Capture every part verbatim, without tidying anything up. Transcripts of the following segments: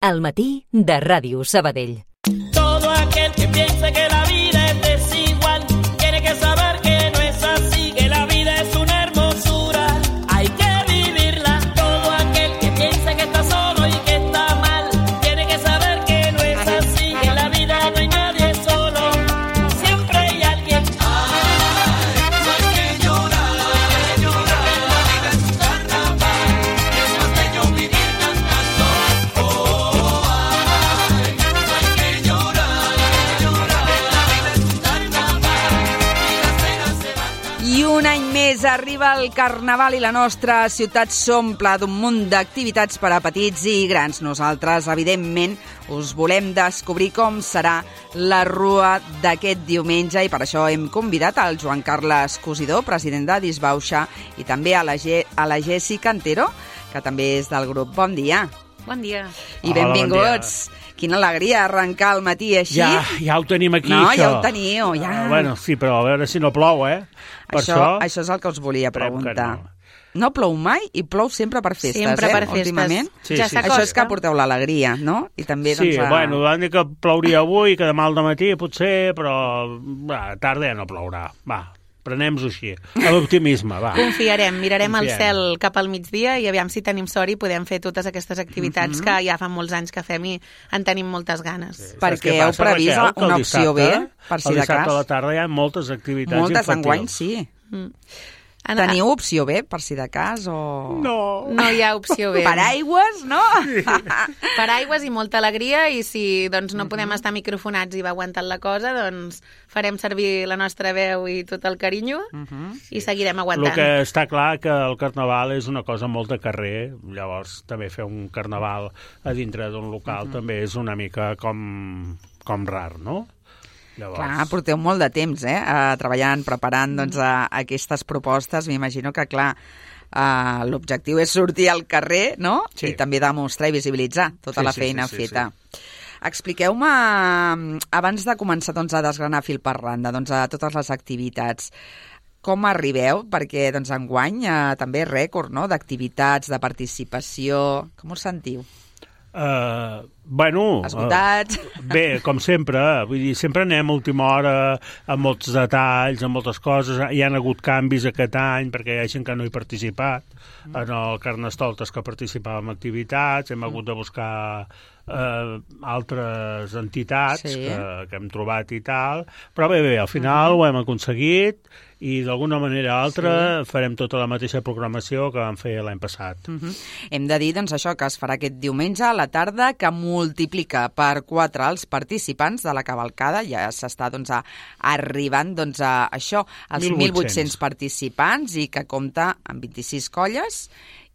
Al matí de Ràdio Sabadell. Todo aquel que piense que la vida es desigual tiene que saber que no es así, que la vida es una hermosura, hay que vivirla. Todo aquel que piense que está solo y que está mal tiene que saber que no es así, que en la vida no hay nadie solo, siempre hay alguien. Ay, no hay que llorar, llorar, la vida es un carnaval, es más bello vivir cantando. Oh, I un any més arriba el Carnaval i la nostra ciutat s'omple d'un munt d'activitats per a petits i grans. Nosaltres, evidentment, us volem descobrir com serà la rua d'aquest diumenge i per això hem convidat al Joan Carles Cosidó, president de Disbauxa, i també a la, Ge- a la Jessica Antero, que també és del grup. Bon dia. Bon dia. I benvinguts. Bon dia. Quina alegria arrencar el matí així. Ja, ja ho tenim aquí, no, això. ja ho teniu, ja. Uh, bueno, sí, però a veure si no plou, eh? Per això, això, això és el que us volia preguntar. No. no plou mai i plou sempre per festes, sempre eh? per festes. Últimament. Sí, ja sí. s'acosta. Això és que porteu l'alegria, no? I també, sí, doncs, a... bueno, van dir que plouria avui, que demà al dematí potser, però va, tarda ja no plourà. Va, prenem-ho així. A l'optimisme, va. Confiarem, mirarem Confiem. el cel cap al migdia i aviam si tenim sort i podem fer totes aquestes activitats mm-hmm. que ja fa molts anys que fem i en tenim moltes ganes. Sí. Perquè heu previst Raquel, que una el opció dissabte, B, per si de cas. El dissabte a la tarda hi ha moltes activitats Moltes infantils. enguany, sí. Mm. Teniu opció B, per si de cas, o... No. No hi ha opció B. Paraigües, no? Sí. Paraigües i molta alegria i si doncs, no podem estar microfonats i va aguantant la cosa, doncs farem servir la nostra veu i tot el carinyo Uh-huh. i seguirem El aguantant. que està clar que el carnaval és una cosa molt de carrer, llavors també fer un carnaval a dintre d'un local uh-huh. també és una mica com, com rar, no? Llavors... Clar, porteu molt de temps, eh? Uh, treballant, preparant doncs, a, a aquestes propostes. M'imagino que, clar, uh, l'objectiu és sortir al carrer, no? Sí. I també demostrar i visibilitzar tota Sí, la sí, feina sí, sí, feta. sí. Expliqueu-me, abans de començar doncs, a desgranar fil per randa, doncs, a totes les activitats, com arribeu? Perquè doncs, enguany eh, també rècord, no?, d'activitats, de participació. Com us sentiu? Uh, bueno... Esgotats? Uh, bé, com sempre, vull dir, sempre anem a última hora amb molts detalls, amb moltes coses. Hi han hagut canvis aquest any perquè hi ha gent que no hi ha participat. Mm. En el Carnestoltes que participava en activitats, hem mm. hagut de buscar uh, altres entitats sí. que, que hem trobat i tal. Però bé, bé, al final mm. ho hem aconseguit i d'alguna manera o altra sí. farem tota la mateixa programació que vam fer l'any passat. Uh-huh. Hem de dir doncs, això que es farà aquest diumenge a la tarda, que multiplica per quatre els participants de la cavalcada. Ja s'està doncs, a, arribant doncs, a això, als mil vuit-cents participants i que compta amb vint-i-sis colles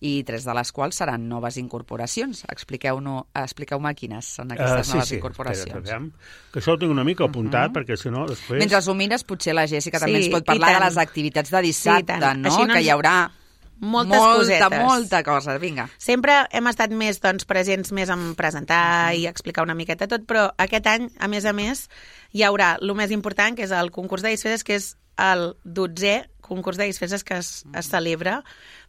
i tres de les quals seran noves incorporacions. Expliqueu-me expliqueu quines són aquestes uh, sí, noves sí. incorporacions. Espera, que això ho tinc una mica apuntat, uh-huh. perquè si no després... Mentre ho mires, potser la Jessica Sí, també ens pot parlar i de tant. les activitats de dissabte, Sí, no? Així no Que ens- hi haurà Moltes molta, cosetes. molta cosa. Vinga. Sempre hem estat més doncs, presents més en presentar i explicar una miqueta tot, però aquest any, a més a més, hi haurà el més important, que és el concurs de disfresses, que és el dotzè concurs de disfresses que es, es celebra.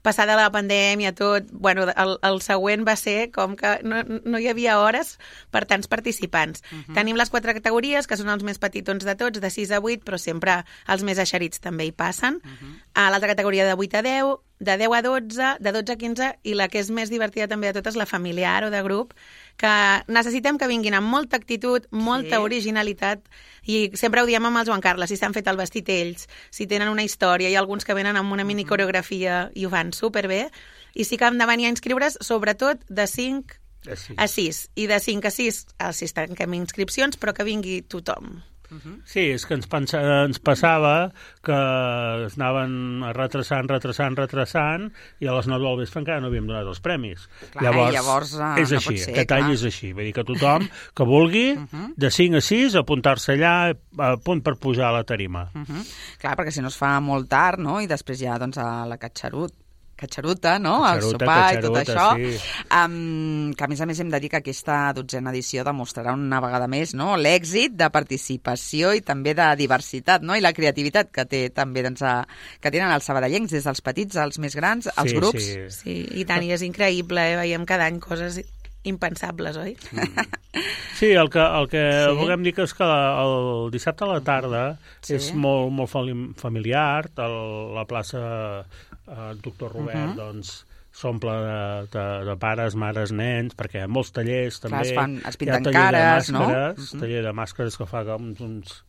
Passada la pandèmia, tot, bueno, el, el següent va ser com que no, no hi havia hores per tants participants. Uh-huh. Tenim les quatre categories, que són els més petitons de tots, de sis a vuit, però sempre els més eixerits també hi passen. Uh-huh. A l'altra categoria de vuit a deu, de deu a dotze, de dotze a quinze, i la que és més divertida també de totes, la familiar o de grup, que necessitem que vinguin amb molta actitud, molta Sí. originalitat, i sempre ho diem amb el Joan Carles, si s'han fet el vestit ells, si tenen una història, hi ha alguns que venen amb una mini coreografia i ho fan superbé, i sí que hem de venir a inscriure's, sobretot de cinc Sí. a sis, i de cinc a sis, a sis tanquem inscripcions, però que vingui tothom. Uh-huh. Sí, és que ens, pensa, ens passava que es anaven retrasant, retrasant, retrasant, i a les nou del vespre encara no havíem donat els premis. Clar, llavors, llavors uh, és no així, pot ser, aquest clar. any és així. Vull dir que tothom que vulgui, uh-huh. de cinc a sis, apuntar-se allà a punt per pujar a la tarima. Uh-huh. Clar, perquè si no es fa molt tard, no?, i després ja doncs, a la catxarut, catxaruta, no?, el Catxaruta, sopar i tot catxaruta, això, sí. um, que a més a més hem de dir que aquesta dotzena edició demostrarà una vegada més, no?, l'èxit de participació i també de diversitat, no?, i la creativitat que té també, doncs, a, que tenen els sabadellencs, des dels petits als més grans, els Sí, grups. sí. Sí, i tant, i és increïble, eh? Veiem cada any coses impensables, oi? Mm. Sí, el que, el que Sí. volem dir que és que el dissabte a la tarda Sí. és molt, molt fali- familiar, el, la plaça eh, Doctor Robert, Mhm. doncs, s'omple de, de, de pares, mares, nens, perquè hi ha molts tallers també. Clar, es fan- es Hi ha pinten taller cares, de no? màscares, Mhm. taller de màscares que fa uns, uns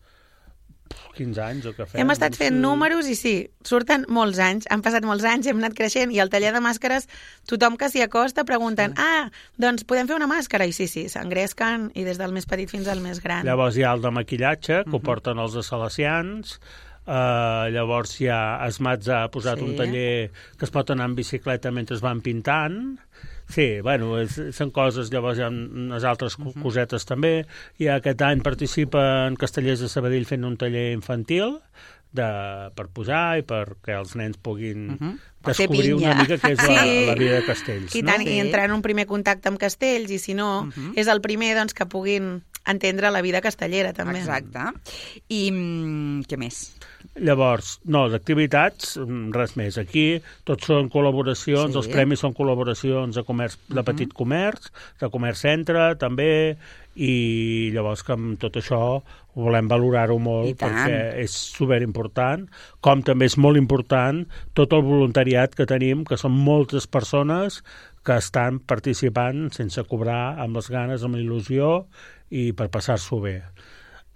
quinze anys o que fem. Hem estat fent Sí. números i sí, surten molts anys, han passat molts anys, hem anat creixent i al taller de màscares tothom que s'hi acosta pregunten sí. ah, doncs podem fer una màscara? I sí, sí, s'engresquen i des del més petit fins al més gran. Llavors hi ha el de maquillatge, que uh -huh. ho porten els de salesians. Uh, llavors hi ha Esmats ha posat Sí. un taller que es pot anar en bicicleta mentre es van pintant. Sí, bueno, és, són coses, llavors hi ha unes altres uh -huh. cosetes també. I aquest any participen Castellers de Sabadell fent un taller infantil de, per posar i perquè els nens puguin uh -huh. descobrir una mica què és la, Sí. la vida de Castells. I, no? tant, Sí. i entrar en un primer contacte amb castells, i si no, uh -huh. és el primer doncs, que puguin entendre la vida castellera, també. Exacte. I mm, què més? Llavors, no, d'activitats, mm, res més. Aquí tots són col·laboracions, Sí. els premis són col·laboracions de comerç, de petit comerç, de comerç centre, també, i llavors que amb tot això volem valorar-ho I molt tant. perquè és superimportant, com també és molt important tot el voluntariat que tenim, que són moltes persones que estan participant sense cobrar, amb les ganes, amb la il·lusió i per passar-s'ho bé.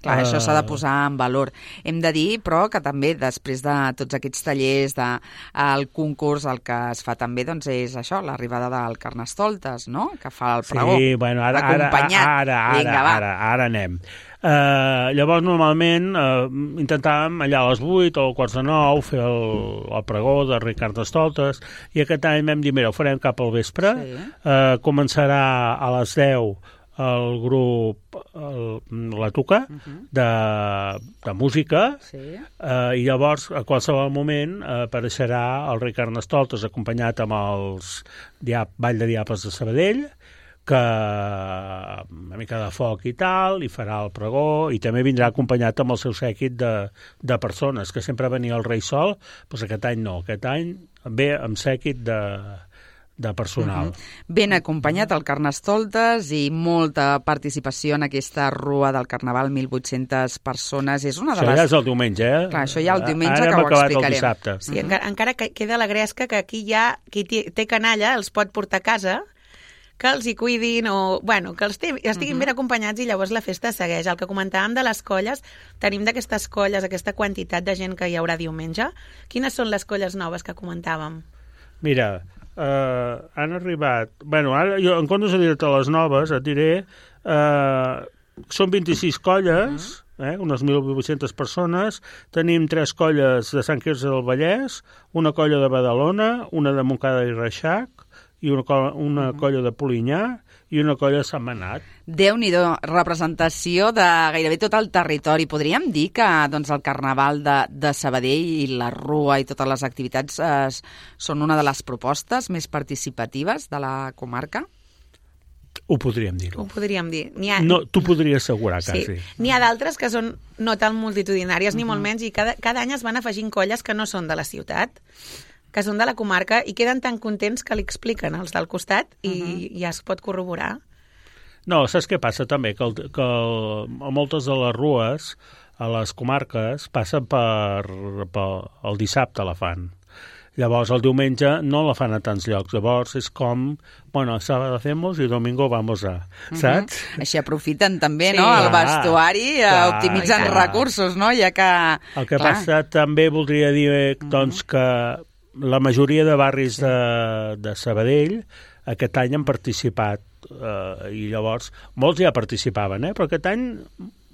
Clar, Uh, això s'ha de posar en valor. Hem de dir, però, que també després de tots aquests tallers, de, el concurs, el que es fa també doncs, és això, l'arribada del Carnestoltes, no?, que fa el pregó. Sí, bueno, ara, ara, acompanyat. ara, ara, Vinga, va. ara, ara anem. Uh, llavors, normalment, uh, intentàvem allà a les vuit o a quarts de nou fer el, el pregó de Ricard Estoltes, i aquest any vam dir, mira, ho farem cap al vespre, Sí. uh, començarà a les deu el grup el, la Tuca uh -huh. de, de música, Sí. eh, i llavors a qualsevol moment eh, apareixerà el Ricard Carnestoltes acompanyat amb els Diab Ball de Diables de Sabadell, que una mica de foc i tal, i farà el pregó, i també vindrà acompanyat amb el seu sèquit de, de persones, que sempre venia el rei sol, doncs aquest any no, aquest any ve amb sèquit de de personal. Uh -huh. Ben acompanyat el Carnestoltes i molta participació en aquesta rua del Carnaval, mil vuit-centes persones. És una de Això les... ja és el diumenge, eh? Clar, això ja el diumenge, Ara que hem ho acabat explicarem. el dissabte. Sí, encara, encara que queda la gresca que aquí ja qui té, té canalla els pot portar a casa, que els hi cuidin o, bueno, que els té, estiguin uh -huh. ben acompanyats i llavors la festa segueix. El que comentàvem de les colles, tenim d'aquestes colles, aquesta quantitat de gent que hi haurà diumenge. Quines són les colles noves que comentàvem? Mira, Uh, han arribat... Bueno, ara jo, en comptes de dir-te les noves, et diré... Uh, són vint-i-sis colles, eh, unes mil vuit-centes persones. Tenim tres colles de Sant Quirze del Vallès, una colla de Badalona, una de Montcada i Reixac, i una, colla, una colla de Polinyà i una colla de Sant Manat. Déu-n'hi-do, representació de gairebé tot el territori. Podríem dir que doncs, el Carnaval de, de Sabadell i la Rua i totes les activitats eh, són una de les propostes més participatives de la comarca? Ho podríem dir. Ho podríem dir. N'hi ha... No, t'ho podria assegurar, Sí. quasi. N'hi ha d'altres que són no tan multitudinàries, ni molt menys, i cada, cada any es van afegint colles que no són de la ciutat, que són de la comarca, i queden tan contents que li expliquen els del costat i uh -huh. ja es pot corroborar. No, saps què passa també? Que, el, que el, moltes de les rues a les comarques passen per, per el dissabte la fan. Llavors, el diumenge no la fan a tants llocs. Llavors, és com, bueno, sábado hacemos y domingo vamos a... Saps? Uh -huh. Així aprofiten també, Sí. no?, el Clar, vestuari, clar, optimitzen clar. recursos, no?, ja que... El que clar. passa també voldria dir, doncs, que la majoria de barris de, de Sabadell aquest any han participat, eh, i llavors molts ja participaven, eh? Però aquest any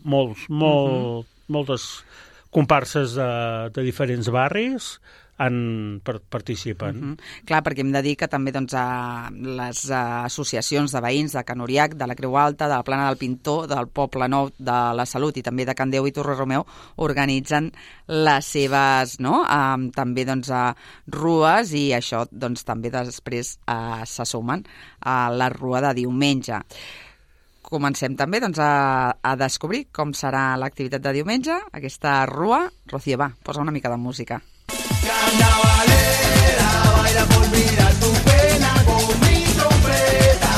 molts, molt, uh -huh. moltes comparses de, de diferents barris han, per, participen. Uh -huh. Clar, perquè hem de dir que també doncs, a les uh, associacions de veïns de Can Uriac, de la Creu Alta, de la Plana del Pintor, del Poble Nou, de la Salut i també de Can Déu i Torre Romeu organitzen les seves, no?, um, també doncs, uh, rues, i això doncs, també després uh, se sumen a la rua de diumenge. Comencem també doncs, a, a descobrir com serà l'activitat de diumenge, aquesta rua. Rocío, va, posa una mica de música. Carnavalera, baila por mirar tu pena con mi trompeta.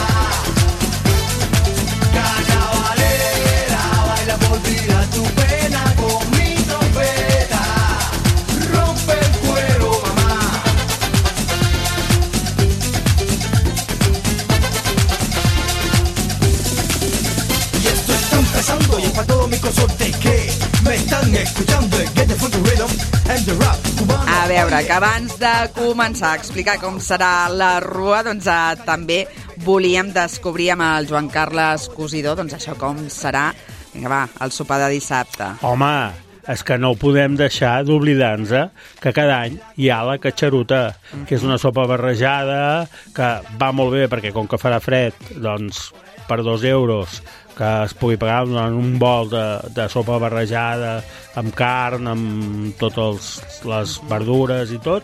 todo mi consorte que me están escuchando. Get the funky rhythm and the rap cubano. A veure, que abans de començar a explicar com serà la rua, doncs eh, també volíem descobrir amb el Joan Carles Cosidor, doncs això com serà, vinga va, el sopar de dissabte. Home, és que no podem deixar d'oblidar-nos que cada any hi ha la catxaruta, que és una sopa barrejada, que va molt bé perquè com que farà fred, doncs per dos euros que es pugui pagar en un bol de, de sopa barrejada amb carn, amb totes les verdures i tot,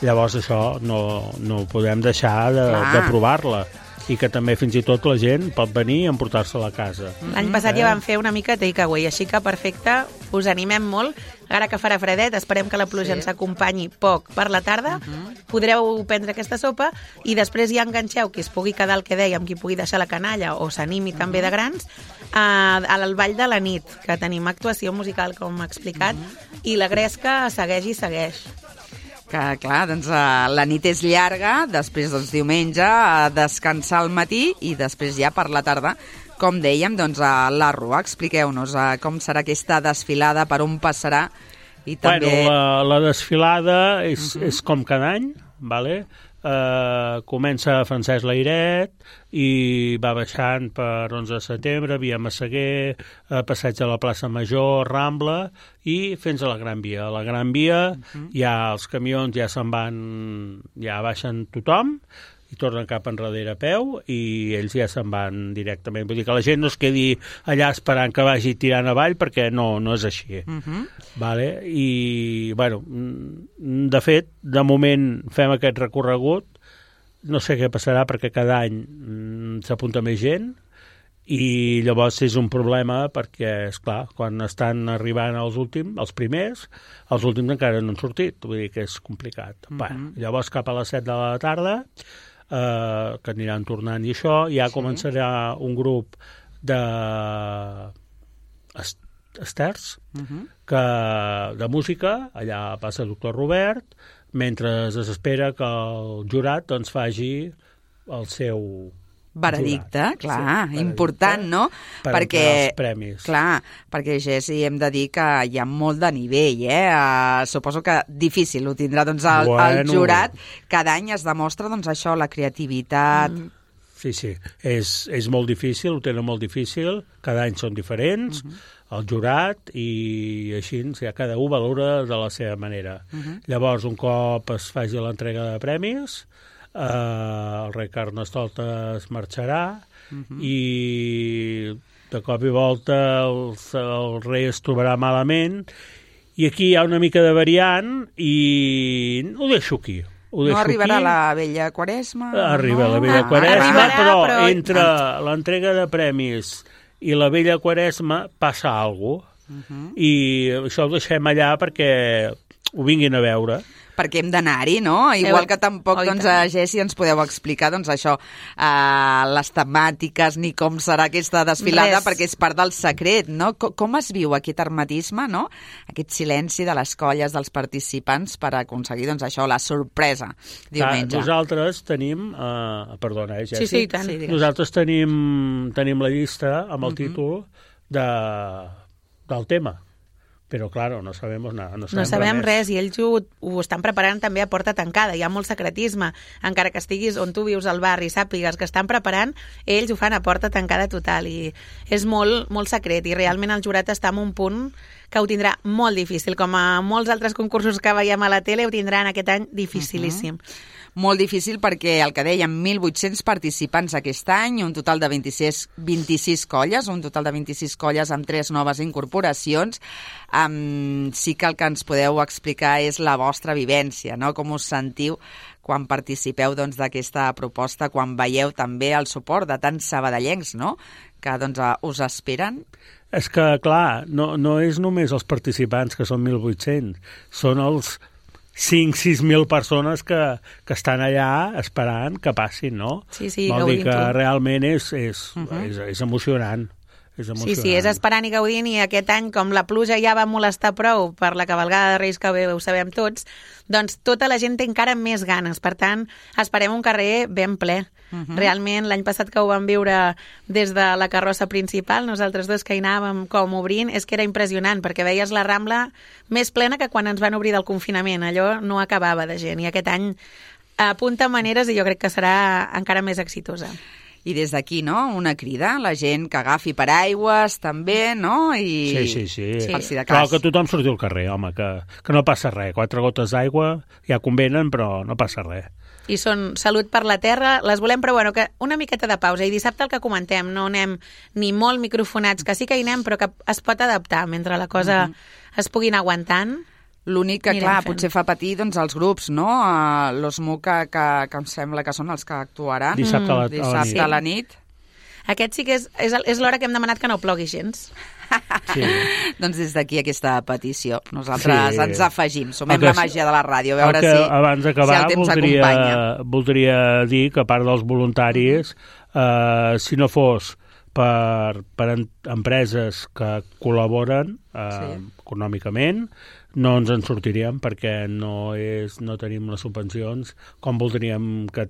llavors això no, no podem deixar de, de provar-la. I que també fins i tot la gent pot venir i emportar-se a la casa. L'any passat ja vam fer una mica takeaway, així que perfecte, us animem molt. Ara que farà fredet, esperem que la pluja ens acompanyi poc per la tarda. Podreu prendre aquesta sopa i després ja enganxeu qui es pugui quedar el que dèiem, qui pugui deixar la canalla o s'animi també de grans, a, al Ball de la Nit, que tenim actuació musical, com ha explicat, i la gresca segueix i segueix. Que, clar, doncs uh, la nit és llarga, després, doncs, diumenge, a descansar al matí i després ja per la tarda, com dèiem, doncs, a la rua. Expliqueu-nos uh, com serà aquesta desfilada, per on passarà i també... Bueno, la, la desfilada és, uh -huh. és com cada any, vale? Uh, comença a Francesc Layret i va baixant per onze de setembre, via Massaguer, uh, passeig a la plaça Major, Rambla i fins a la Gran Via. A la Gran Via uh-huh. ja els camions ja se'n van, ja baixen tothom i tornen cap enrere a peu i ells ja se'n van directament. Vull dir que la gent no es quedi allà esperant que vagi tirant avall perquè no, no és així. Uh-huh. Vale? I, bueno, de fet, de moment fem aquest recorregut. No sé què passarà perquè cada any mm, s'apunta més gent i llavors és un problema perquè, esclar, quan estan arribant els últims, els primers, els últims encara no han sortit. Vull dir que és complicat. Uh-huh. Bueno, llavors cap a les set de la tarda Uh, que aniran tornant i això, ja sí. començarà un grup de est esters uh-huh. que, de música, allà passa el doctor Robert, mentre es espera que el jurat doncs faci el seu veredicte, jurat. clar, sí, important, no? Per perquè, els premis. Clar, perquè, Jessi, hem de dir que hi ha molt de nivell, eh? Uh, suposo que difícil ho tindrà, doncs, el, bueno. el jurat. Cada any es demostra, doncs, això, la creativitat... Mm. Sí, sí, és, és molt difícil, ho tenen molt difícil, cada any són diferents, uh-huh. el jurat, i així ja cada un valora de la seva manera. Uh-huh. Llavors, un cop es faci l'entrega de premis, Uh, el rei Carnestoltes marxarà uh-huh. i de cop i volta el, el rei es trobarà malament i aquí hi ha una mica de variant i ho deixo aquí. Ho deixo no arribarà aquí. La vella Quaresma? Arriba no? la vella ah, Quaresma, arribarà, però, però entre l'entrega de premis i la vella Quaresma passa alguna cosa uh-huh. i això ho deixem allà perquè ho vinguin a veure. Perquè hem d'anar-hi, no? Igual que tampoc, oh, doncs, a Jessi ens podeu explicar, doncs, això, uh, les temàtiques, ni com serà aquesta desfilada, Res. perquè és part del secret, no? Com, com es viu aquest hermetisme, no? Aquest silenci de les colles, dels participants, per aconseguir, doncs, això, la sorpresa diumenge. Clar, nosaltres tenim... Uh, perdona, eh, Jessi? Sí, sí, i tant. Sí, nosaltres tenim, tenim la llista amb el uh-huh. títol de, del tema. Però, claro, no sabem nada. No sabem, no sabem res. res, i ells ho, ho estan preparant també a porta tancada. Hi ha molt secretisme. Encara que estiguis on tu vius al barri i sàpigues que estan preparant, ells ho fan a porta tancada total. I és molt, molt secret. I realment el jurat està en un punt que ho tindrà molt difícil. Com a molts altres concursos que veiem a la tele, ho tindran aquest any dificilíssim. Uh-huh. Molt difícil perquè, el que dèiem, mil vuit-cents participants aquest any, un total de vint-i-sis, vint-i-sis colles, un total de vint-i-sis colles amb tres noves incorporacions. Um, sí que el que ens podeu explicar és la vostra vivència, no? Com us sentiu quan participeu, doncs, d'aquesta proposta, quan veieu també el suport de tants sabadellencs, no?, que, doncs, us esperen. És que, clar, no, no és només els participants, que són mil vuit-cents, són els cinc sis mil persones que, que estan allà esperant que passin, no? Sí, sí, Vol dir que tu. realment és, és, uh-huh. és, és emocionant. és emocionant. Sí, sí, és esperant i gaudint, i aquest any, com la pluja ja va molestar prou per la cavalgada de Reis, que bé ho sabem tots, doncs tota la gent té encara més ganes. Per tant, esperem un carrer ben ple. Uh -huh. Realment, l'any passat que ho vam viure des de la carrossa principal, nosaltres dos que hi anàvem com obrint, és que era impressionant, perquè veies la Rambla més plena que quan ens van obrir del confinament. Allò no acabava de gent, i aquest any apunta maneres i jo crec que serà encara més exitosa. I des d'aquí, no?, una crida, la gent que agafi paraigües també, no?, i... Sí, sí, sí. sí. Per si de Però cas. que tothom surti al carrer, home, que, que no passa res. Quatre gotes d'aigua ja convenen, però no passa res. I són salut per la terra, les volem, però bueno, que una miqueta de pausa. I dissabte el que comentem, no anem ni molt microfonats, que sí que hi anem, però que es pot adaptar mentre la cosa uh-huh. es puguin aguantant. L'únic que, Anirem clar, fent. potser fa patir doncs, els grups, no? Uh, L'O S M U que, que, que em sembla que són els que actuaran. Dissabte a la, Dissabte a a la la nit. nit. Aquest sí que és, és, és l'hora que hem demanat que no plogui gens. Sí. Doncs des d'aquí aquesta petició. Nosaltres Sí. ens afegim, sumem que la és- màgia de la ràdio, a veure el que, si, abans si d'acabar, el temps voldria, acompanya. voldria dir que a part dels voluntaris, eh, si no fos per, per en, empreses que col·laboren eh, Sí. econòmicament, no ens en sortiríem, perquè no, és, no tenim les subvencions com voldríem que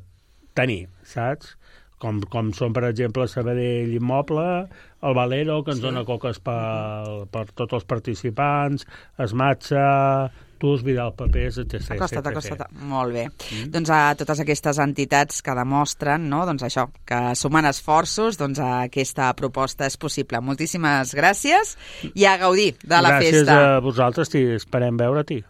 tenir, saps? Com, com són, per exemple, Sabadell Immoble, el Valero, que ens sí. dona coques per, per tots els participants, Esmatxa, Tus, Vidal Papers, etcètera. Acosta't, acosta't. Molt bé. Mm. Doncs a totes aquestes entitats que demostren, no?, doncs això, que sumant esforços, doncs aquesta proposta és possible. Moltíssimes gràcies i a gaudir de la gràcies festa. Gràcies a vosaltres, i esperem veure-t'hi.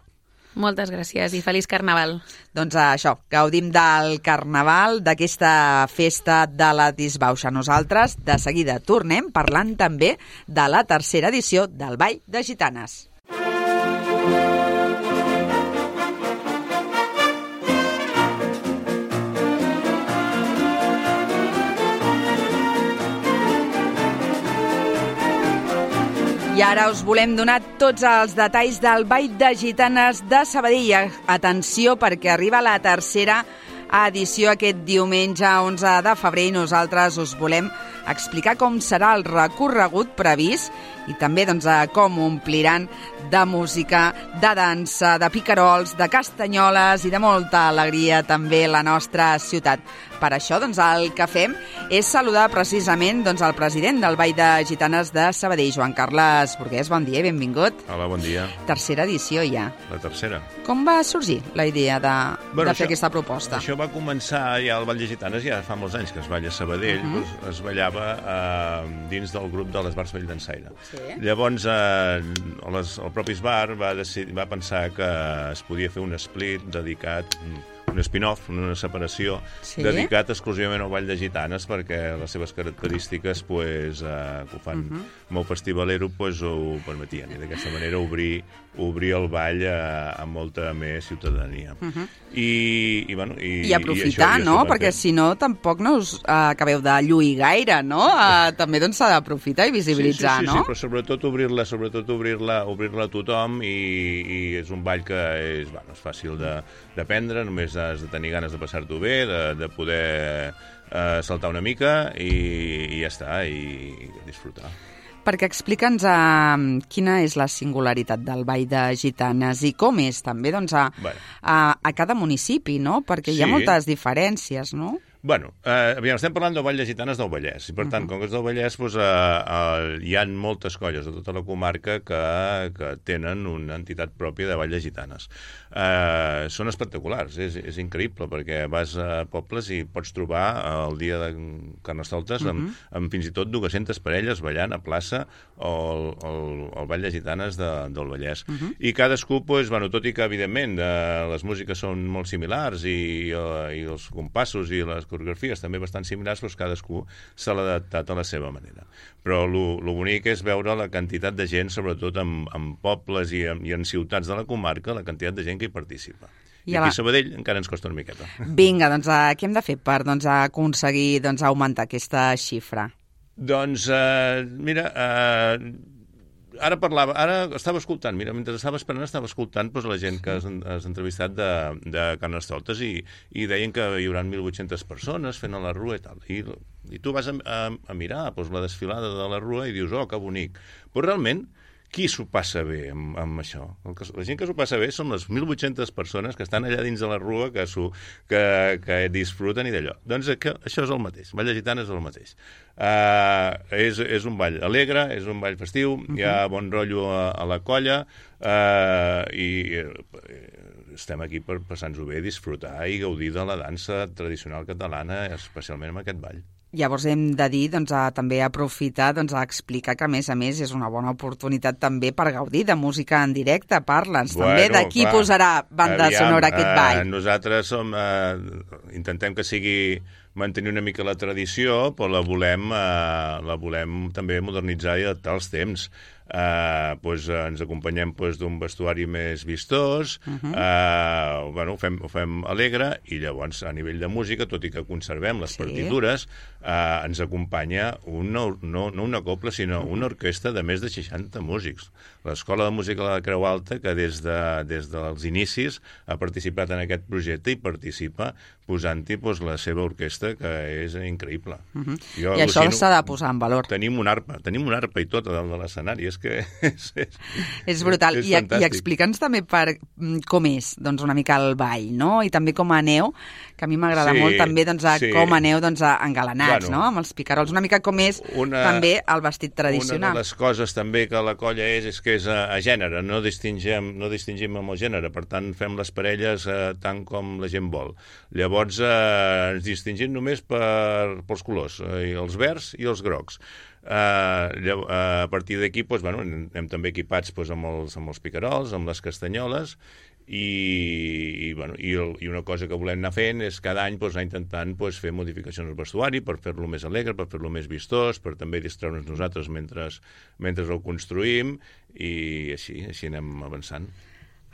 Moltes gràcies i feliç Carnaval. Doncs això, gaudim del Carnaval, d'aquesta festa de la disbauxa. Nosaltres de seguida tornem parlant també de la tercera edició del Ball de Gitanes. I ara us volem donar tots els detalls del Ball de Gitanes de Sabadell. Atenció, perquè arriba la tercera edició aquest diumenge onze de febrer i nosaltres us volem explicar com serà el recorregut previst i també doncs, com ompliran de música, de dansa, de picarols, de castanyoles i de molta alegria també la nostra ciutat. Per això doncs, el que fem és saludar precisament doncs, el president del Ball de Gitanes de Sabadell, Joan Carles Burgués. Bon dia i benvingut. Hola, bon dia. Tercera edició ja. La tercera. Com va sorgir la idea de, Bueno, de fer això- aquesta proposta? Això va començar ja al Ball de Gitanes, ja fa molts anys que es balla a Sabadell, uh -huh. doncs es ballava eh, dins del grup de l'Esbar Sabadell d'Ensaire. Sí. Llavors, eh, les, el propi Esbar va, decidir, va pensar que es podia fer un split dedicat, un spin-off, una separació, Sí. dedicat exclusivament al Ball de Gitanes, perquè les seves característiques, pues, eh, que ho fan uh -huh. molt festivalero, pues, ho permetien. I d'aquesta manera obrir, obrir el ball a, a molta més ciutadania. Uh -huh. I, i, bueno, i, I aprofitar, i això, no? I això Perquè si no, tampoc no us uh, acabeu de lluir gaire, no? Uh, també doncs s'ha d'aprofitar i visibilitzar, sí, sí, sí, no? Sí, però sobretot obrir-la, sobretot obrir-la obrir-la a tothom, i, i és un ball que és, bueno, és fàcil de- d'aprendre, només has de tenir ganes de passar-t'ho bé, de, de poder eh, saltar una mica i, i ja està, i, i disfrutar. Perquè explica'ns uh, quina és la singularitat del Ball de Gitanes i com és també doncs, a, Bueno. a, a cada municipi, no? Perquè hi ha Sí. moltes diferències, no? Bueno, eh, aviam, estem parlant del Ball de Gitanes del Vallès, i per tant, uh -huh. com que és del Vallès, doncs, eh, eh, hi ha moltes colles de tota la comarca que, que tenen una entitat pròpia de Ball de Gitanes. Eh, són espectaculars, és, és increïble, perquè vas a pobles i pots trobar el dia de Carnestoltes uh -huh. amb, amb fins i tot dues-centes parelles ballant a plaça o el, el, el Ball de Gitanes de, del Vallès. Uh -huh. I cadascú, doncs, bueno, tot i que, evidentment, eh, les músiques són molt similars i, eh, i els compassos i les coreografies també bastant similars, però cadascú se l'ha adaptat a la seva manera. Però el bonic és veure la quantitat de gent, sobretot en, en pobles i en, i en ciutats de la comarca, la quantitat de gent que hi participa. I I a aquí la- a Sabadell encara ens costa una miqueta. Vinga, doncs uh, què hem de fer per doncs, aconseguir doncs, augmentar aquesta xifra? Doncs, eh, mira, eh, ara parlava, ara estava escoltant, mira, mentre estava esperant estava escoltant doncs, la gent que has, has entrevistat de, de Carnestoltes i, i deien que hi haurà mil vuit-centes persones fent a la Rua i tal. I, i tu vas a, a, a mirar doncs, la desfilada de la Rua i dius, oh, que bonic. Però realment, qui s'ho passa bé amb, amb això? El que, la gent que s'ho passa bé són les mil vuit-centes persones que estan allà dins de la Rua, que, que, que disfruten i d'allò. Doncs que, això és el mateix. Vall de Gitanes és el mateix. Uh, és, és un ball alegre, és un ball festiu, uh-huh. hi ha bon rotllo a, a la colla uh, i uh, estem aquí per passar-nos-ho bé, disfrutar i gaudir de la dansa tradicional catalana, especialment amb aquest ball. Llavors hem de dir, doncs, a, també aprofitar doncs, a explicar que, a més a més, és una bona oportunitat també per gaudir de música en directe. Parla'ns bueno, també de qui clar, posarà banda aviam, sonora aquest ball. Eh, nosaltres som, eh, intentem que sigui mantenir una mica la tradició, però la volem, eh, la volem també modernitzar i adaptar als temps. Uh, pues, uh, ens acompanyem pues, d'un vestuari més vistós, uh-huh. uh, bueno, ho, fem, ho fem alegre i llavors a nivell de música, tot i que conservem les sí. partitures, uh, ens acompanya una, no, no una cobla sinó uh-huh. una orquestra de més de seixanta músics. L'Escola de Música de la Creu Alta, que des, de, des dels inicis ha participat en aquest projecte i participa posant-hi pues, la seva orquestra, que és increïble. Uh-huh. Jo, I això s'ha de posar en valor. Tenim un arpa, tenim un arpa i tot a dalt de l'escenari, és que és, és, és brutal. És I, I explica'ns també per com és doncs, una mica el ball, no? I també com aneu, que a mi m'agrada sí, molt també doncs, a sí. com aneu doncs, a engalanats, bueno, no? Amb els picarols. Una mica com és una, també el vestit tradicional. Una de les coses també que la colla és, és que és a, a gènere, no distingim, no distingim amb el gènere, per tant fem les parelles eh, tant com la gent vol. Llavors eh, ens distingim només per, pels colors, eh, els verds i els grocs. Uh, a partir d'aquí doncs, bueno, anem també equipats doncs, amb, els, amb els picarols, amb les castanyoles i, i, bueno, i, el, i una cosa que volem anar fent és cada any doncs, anar intentant doncs, fer modificacions al vestuari per fer-lo més alegre, per fer-lo més vistós, per també distreure'ns nosaltres mentre, mentre el construïm i així, així anem avançant.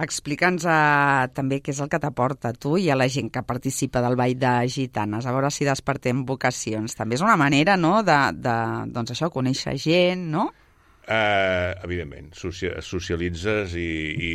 Explica'ns uh, també què és el que t'aporta a tu i a la gent que participa del Ball de Gitanes, a veure si despertem vocacions. També és una manera, no?, de, de doncs això, conèixer gent, no? Uh, evidentment, socialitzes i, i,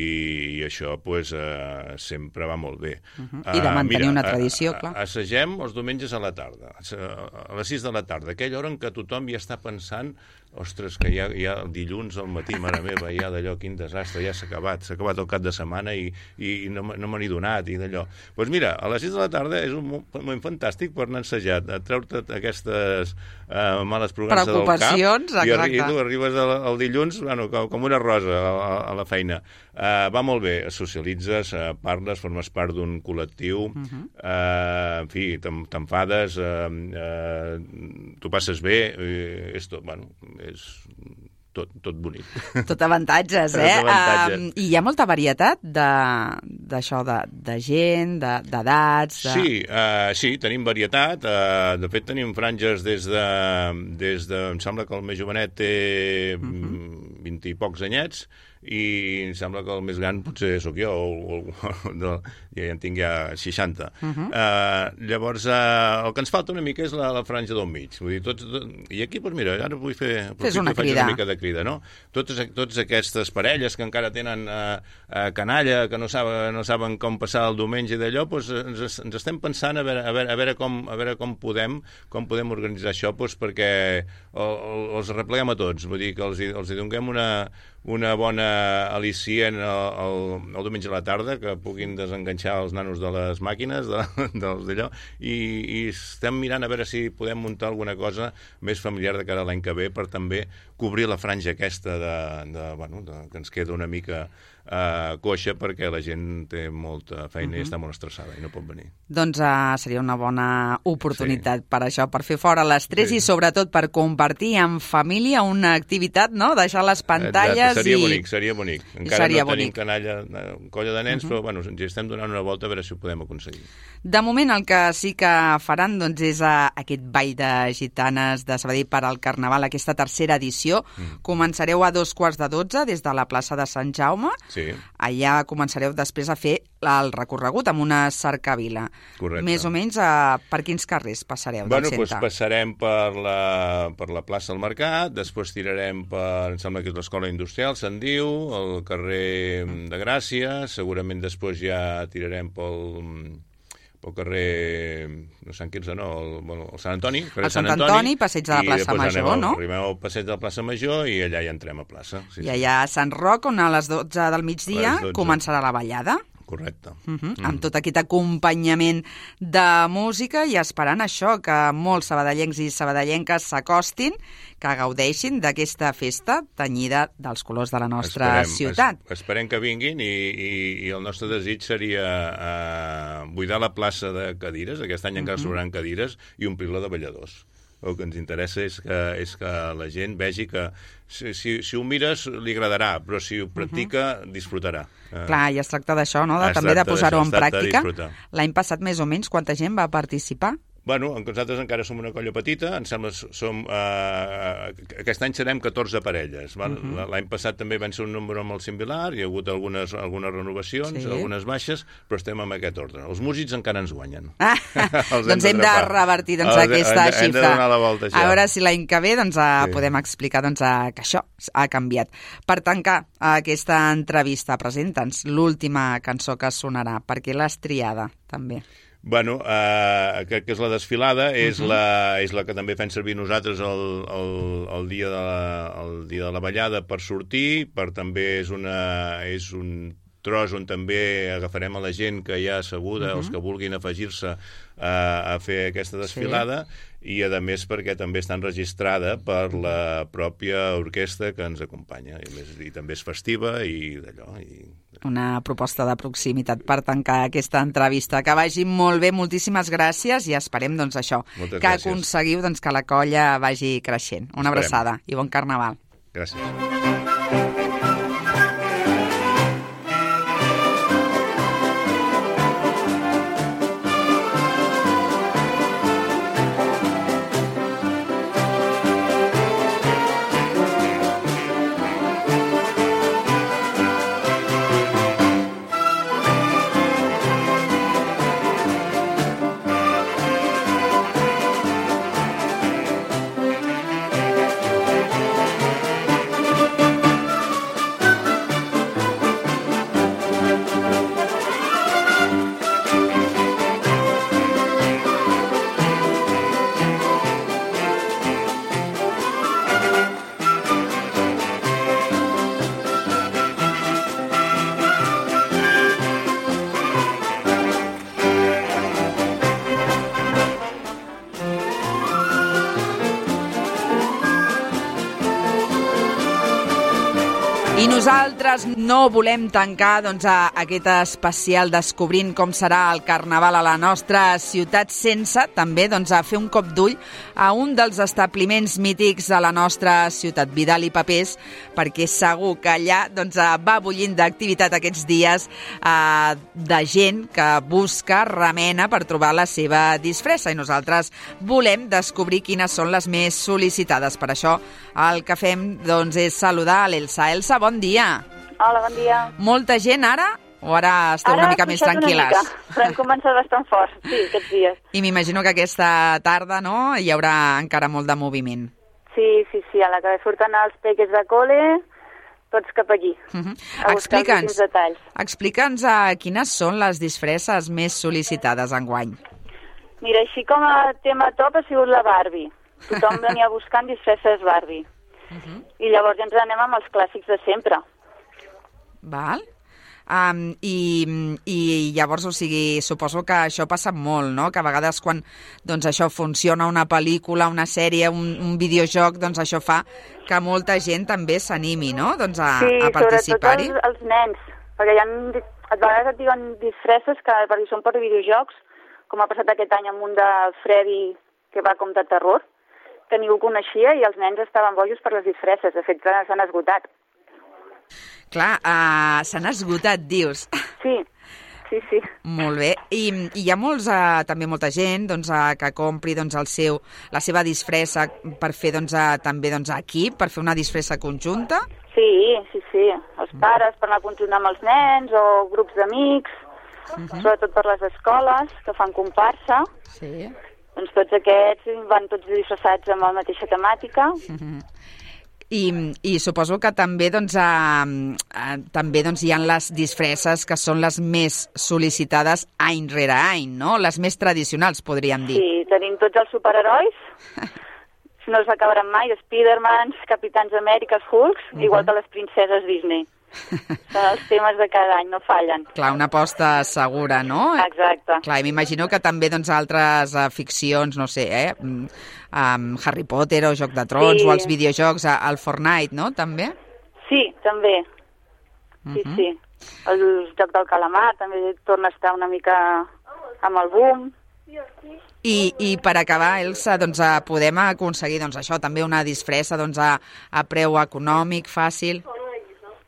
i això pues, uh, sempre va molt bé. Uh-huh. I de mantenir uh, mira, una tradició, clar. Assagem els diumenges a la tarda, a les sis de la tarda, aquella hora en què tothom ja està pensant ostres, que ja, ja el dilluns al matí, mare meva, ja d'allò, quin desastre, ja s'ha acabat, s'ha acabat el cap de setmana i, i no, no me n'he donat, i d'allò. Doncs pues mira, a les sis de la tarda és un moment fantàstic per anar ensejat, a treure-te aquestes uh, males provences del cap. Preocupacions, exacte. I, i tu arribes el, el dilluns, bueno, com, com una rosa a, a la feina. Uh, va molt bé, socialitzes, uh, parles, formes part d'un col·lectiu, uh-huh. uh, en fi, t'enfades, uh, uh, t'ho passes bé, uh, és tot, bueno, és tot, tot bonic. Tot avantatges, eh? Tot avantatges. Um, I hi ha molta varietat d'això, de, de, de gent, d'edats... De, de... Sí, uh, sí, tenim varietat. Uh, de fet, tenim franges des de, des de... Em sembla que el més jovenet té uh-huh. vint i pocs anyets, i em sembla que el més gran potser sóc jo, o, o, o ja en tinc ja seixanta. Uh-huh. Uh, llavors, uh, el que ens falta una mica és la, la franja del mig. Vull dir, tots, tot, i aquí, doncs mira, ara vull fer... Fes una faig crida. Una mica de crida, no? Totes, totes aquestes parelles que encara tenen uh, uh, canalla, que no saben, no saben com passar el diumenge i d'allò, doncs ens, ens estem pensant a veure, a veure, a veure, com, a veure com, podem, com podem organitzar això, doncs perquè el, el, els repleguem a tots. Vull dir que els, els hi donem una... una bona al·licient el, el, el diumenge a la tarda, que puguin desenganxar els nanos de les màquines, de, dels d'allò, i, i estem mirant a veure si podem muntar alguna cosa més familiar de cara a l'any que ve per també cobrir la franja aquesta de, de, bueno, de, que ens queda una mica uh, coixa perquè la gent té molta feina uh-huh. i està molt estressada i no pot venir. Doncs uh, seria una bona oportunitat sí. per això, per fer fora l'estrès sí. i sobretot per compartir en família una activitat, no? Deixar les pantalles. Exacte, seria i... bonic, seria bonic. Encara seria no tenim bonic. canalla, colla de nens, uh-huh. però bueno, ens estem donant una volta a veure si ho podem aconseguir. De moment el que sí que faran doncs, és uh, aquest ball de gitanes de Sabadell per al Carnaval, aquesta tercera edició. Mm. Començareu a dos quarts de dotze des de la plaça de Sant Jaume. Sí. Sí. Allà començareu després a fer el recorregut amb una cercavila. Correcte. Més o menys a, per quins carrers passareu Bueno, del doncs centre? passarem per la, per la plaça del Mercat, després tirarem per, em sembla que és l'Escola Industrial, se'n diu, el carrer de Gràcia, segurament després ja tirarem pel, pel carrer, no Sant Quirze, no, el, bueno, el Sant Antoni, el carrer El Sant Sant Antoni, Antoni, passeig de la i plaça després Major, anem al- no? Arribem al passeig de la plaça Major i allà ja entrem a plaça. Sí, I allà a Sant Roc, on a les dotze del A migdia les dotze. començarà la ballada. Correcte. Uh -huh. mm. Amb tot aquest acompanyament de música i esperant això, que molts sabadellencs i sabadellenques s'acostin, que gaudeixin d'aquesta festa tenyida dels colors de la nostra Esperem, ciutat. Es, esperem que vinguin i, i, i el nostre desig seria eh, buidar la plaça de cadires, aquest any encara sobraran cadires, i omplir-la de balladors. El que ens interessa és que, és que la gent vegi que si, si, si ho mires li agradarà, però si ho practica disfrutarà. Eh, Clar, i es tracta d'això, no? De, Es també de tracta posar-ho d'això, en es tracta de pràctica. disfrutar. L'any passat, més o menys, quanta gent va participar? Bueno, nosaltres encara som una colla petita, em sembla que som, eh, aquest any serem catorze parelles. Val? Uh -huh. L'any passat també van ser un número molt similar, hi ha hagut algunes, algunes renovacions, Sí. algunes baixes, però estem en aquest ordre. Els músics encara ens guanyen. Ah, Els doncs hem de d'atrapar. revertir doncs, Els- aquesta hem de- xifra. Hem de donar la volta, això. A veure si l'any que ve doncs, eh, Sí. podem explicar doncs, eh, que això ha canviat. Per tancar aquesta entrevista, presenta'ns l'última cançó que sonarà, perquè l'has triada, també. Bueno, eh, crec que és la desfilada, és, uh -huh. la, és la que també fem servir nosaltres el, el, el, dia, de la, el dia de la ballada per sortir, per també és, una, és un tros on també agafarem a la gent que hi ha asseguda, uh -huh. els que vulguin afegir-se a, a fer aquesta desfilada, sí. I a més perquè també està enregistrada per la pròpia orquestra que ens acompanya, i, més, i també és festiva i d'allò. I... Una proposta de proximitat per tancar aquesta entrevista. Que vagi molt bé, moltíssimes gràcies i esperem doncs, això, Moltes que gràcies. aconseguiu doncs, que la colla vagi creixent. Una Esperem. abraçada i bon carnaval. Gràcies. I nosaltres no volem tancar doncs, a aquest especial descobrint com serà el Carnaval a la nostra ciutat sense també doncs, a fer un cop d'ull a un dels establiments mítics de la nostra ciutat, Vidal i Papers, perquè segur que allà doncs, va bullint d'activitat aquests dies eh, de gent que busca, remena per trobar la seva disfressa i nosaltres volem descobrir quines són les més sol·licitades. Per això el que fem doncs, és saludar a l'Elsa. Elsa, bon dia. Hola, bon dia. Molta gent ara o ara esteu ara una mica més tranquil·les? Una mica, però hem començat bastant fort, sí, aquests dies. I m'imagino que aquesta tarda no, hi haurà encara molt de moviment. Sí, sí, sí, a la que surten els peques de cole, tots cap allí, Uh -huh. a buscar els últims detalls. Explica'ns uh, quines són les disfresses més sol·licitades enguany. Mira, així com a tema top ha sigut la Barbie. Tothom venia buscant disfresses Barbie. Uh -huh. I llavors ja ens anem amb els clàssics de sempre. Val? Um, i, I llavors, o sigui, suposo que això passa molt, no? Que a vegades quan doncs, això funciona una pel·lícula, una sèrie, un, un videojoc, doncs això fa que molta gent també s'animi, no? Doncs a, sí, a participar-hi. Sí, sobretot els, els nens, perquè hi ha, a vegades et diuen disfresses que perquè són per videojocs, com ha passat aquest any amb un de Freddy que va com de terror, que ningú coneixia i els nens estaven bojos per les disfresses, de fet s'han esgotat. Clar, uh, s'han esgotat, dius. Sí, sí, sí. Molt bé. I, i hi ha molts, eh, també molta gent doncs, eh, que compri doncs, el seu, la seva disfressa per fer doncs, eh, també doncs, equip, per fer una disfressa conjunta? Sí, sí, sí. Els pares per anar conjunt amb els nens o grups d'amics, uh-huh. sobretot per les escoles que fan comparsa. Sí. Doncs tots aquests van tots disfressats amb la mateixa temàtica. Uh-huh. I, I suposo que també, doncs, eh, eh, també doncs, hi ha les disfresses que són les més sol·licitades any rere any, no? Les més tradicionals, podríem dir. Sí, tenim tots els superherois. No es acabaran mai, Spidermans, Capitans Amèriques, Hulks, uh-huh. igual que les princeses Disney. Són els temes de cada any, no fallen. Clar, una aposta segura, no? Exacte. Clar, m'imagino que també doncs, altres uh, ficcions, no sé, eh? Um, Harry Potter o Joc de Trons, sí. o els videojocs, el Fortnite, no? També? Sí, també. Sí, uh-huh. sí. El Joc del Calamar també torna a estar una mica amb el boom. I, i per acabar, Elsa, doncs, podem aconseguir doncs, això, també una disfressa doncs, a, a preu econòmic, fàcil?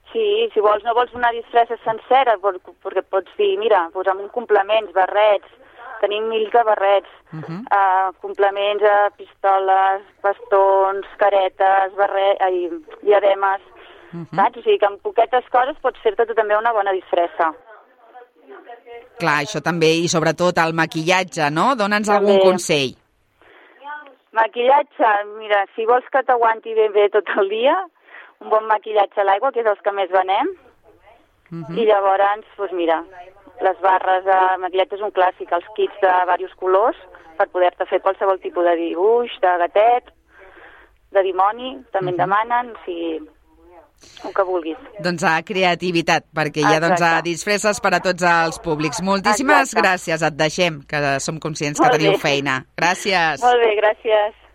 Sí, si vols, no vols una disfressa sencera, perquè pots dir, mira, posa'm un complements, barrets, tenim mil de barrets, uh-huh. uh, complements a pistoles, bastons, caretes, barret, ai, diademes, uh-huh. saps? O sigui que amb poquetes coses pots fer-te tu també una bona disfressa. Clar, això també, i sobretot el maquillatge, no? Dóna'ns algun consell. Maquillatge, mira, si vols que t'aguanti ben bé tot el dia, un bon maquillatge a l'aigua, que és els que més venem, uh-huh. i llavors, doncs mira, les barres de maquillatge és un clàssic, els kits de diversos colors, per poder-te fer qualsevol tipus de dibuix, de gatet, de dimoni, també uh-huh. en demanen, o sigui, el que vulguis. Doncs a creativitat, perquè hi ha doncs, a disfresses per a tots els públics. Moltíssimes Exacte. gràcies, et deixem, que som conscients que teniu feina. Gràcies. Molt bé, gràcies.